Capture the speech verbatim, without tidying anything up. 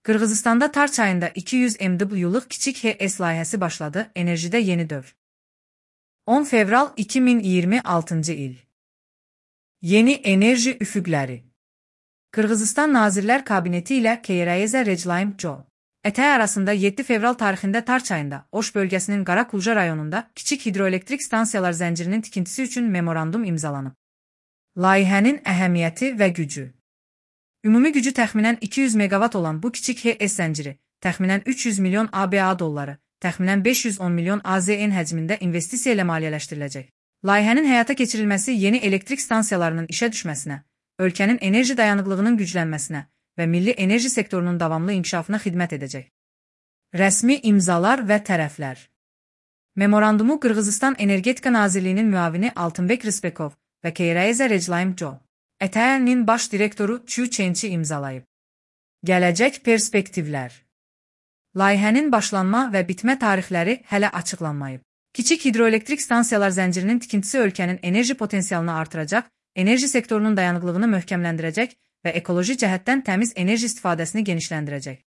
Qırğızistanda Tar çayında iki yüz megawattlık kiçik H E S layihəsi başladı, enerjide yeni dövr. on fevral iki min iyirmi altıncı il. Yeni enerji üfüqləri. Qırğızistan Nazirlər Kabineti ilə Keyrayeza Reclaim Co. Ətəy arasında yeddi fevral tarixində Tar çayında, Oş bölgəsinin Qarakulja rayonunda kiçik hidroelektrik stansiyalar zəncirinin tikintisi üçün memorandum imzalanıb. Layihənin əhəmiyyəti və gücü. Ümumi gücü təxminən iki yüz megawatt olan bu kiçik H E S zənciri, təxminən üç yüz milyon A B A dolları, təxminən beş yüz on milyon A Z N həcmində investisiya ilə maliyyələşdiriləcək. Layihənin həyata keçirilməsi yeni elektrik stansiyalarının işə düşməsinə, ölkənin enerji dayanıqlığının güclənməsinə və milli enerji sektorunun davamlı inkişafına xidmət edəcək. Rəsmi imzalar və tərəflər. Memorandumu Qırğızistan Energetika Nazirliyinin müavini Altınbek Rıspekov və Keyrayeza Reclaim Co. Ətəyinin baş direktoru Çu Çençi imzalayıb. Gələcək perspektivlər. Layihənin başlanma və bitmə tarixləri hələ açıqlanmayıb. Kiçik hidroelektrik stansiyalar zəncirinin tikintisi ölkənin enerji potensialını artıracaq, enerji sektorunun dayanıqlığını möhkəmləndirəcək və ekoloji cəhətdən təmiz enerji istifadəsini genişləndirəcək.